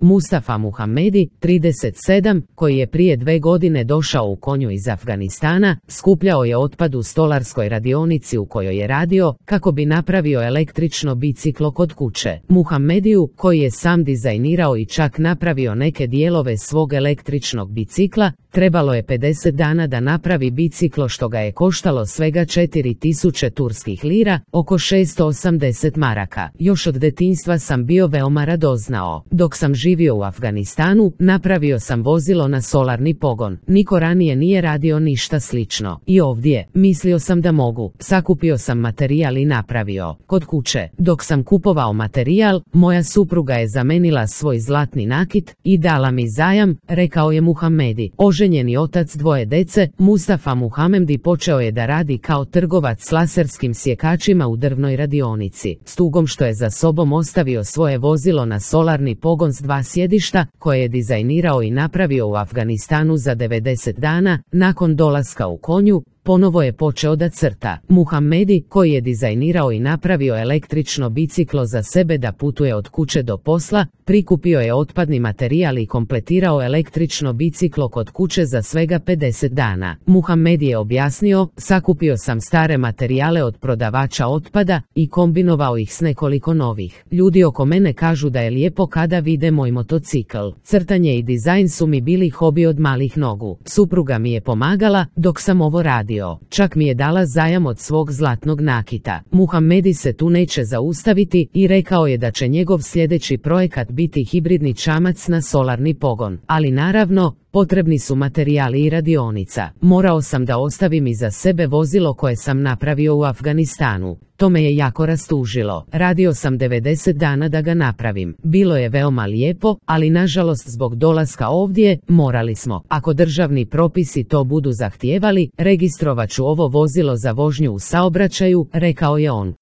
Mustafa Muhamedi, 37, koji je prije 2 godine došao u konju iz Afganistana, skupljao je otpad u stolarskoj radionici u kojoj je radio, kako bi napravio električno biciklo kod kuće. Muhamediju, koji je sam dizajnirao i čak napravio neke dijelove svog električnog bicikla, trebalo je 50 dana da napravi biciklo, što ga je koštalo svega 4000 turskih lira, oko 680 maraka. Još od detinjstva sam bio veoma radoznao. Dok sam živio u Afganistanu, napravio sam vozilo na solarni pogon. Niko ranije nije radio ništa slično. I ovdje, mislio sam da mogu. Sakupio sam materijal i napravio. Kod kuće, dok sam kupovao materijal, moja supruga je zamenila svoj zlatni nakit i dala mi zajam, rekao je Muhamedi. Oženjeni otac 2 dece, Mustafa Muhamedi počeo je da radi kao trgovac s laserskim sjekačima u drvnoj radionici, s tugom što je za sobom ostavio svoje vozilo na solarni pogon s 2 sjedišta, koje je dizajnirao i napravio u Afganistanu za 90 dana. Nakon dolaska u konju, ponovo je počeo da crta. Muhamedi, koji je dizajnirao i napravio električno biciklo za sebe da putuje od kuće do posla, prikupio je otpadni materijal i kompletirao električno biciklo kod kuće za svega 50 dana. Muhamedi je objasnio, sakupio sam stare materijale od prodavača otpada i kombinovao ih s nekoliko novih. Ljudi oko mene kažu da je lijepo kada vide moj motocikl. Crtanje i dizajn su mi bili hobi od malih nogu. Supruga mi je pomagala dok sam ovo radio. Čak mi je dala zajam od svog zlatnog nakita. Muhamedi se tu neće zaustaviti i rekao je da će njegov sljedeći projekat biti hibridni čamac na solarni pogon. Ali naravno, potrebni su materijali i radionica. Morao sam da ostavim iza sebe vozilo koje sam napravio u Afganistanu. To me je jako rastužilo. Radio sam 90 dana da ga napravim. Bilo je veoma lijepo, ali nažalost zbog dolaska ovdje, morali smo. Ako državni propisi to budu zahtijevali, registrovat ću ovo vozilo za vožnju u saobraćaju, rekao je on.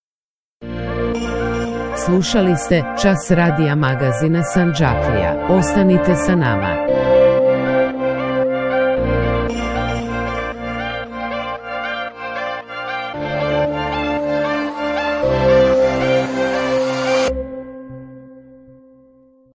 Slušali ste Čas radija magazina Sandžaklija. Ostanite sa nama.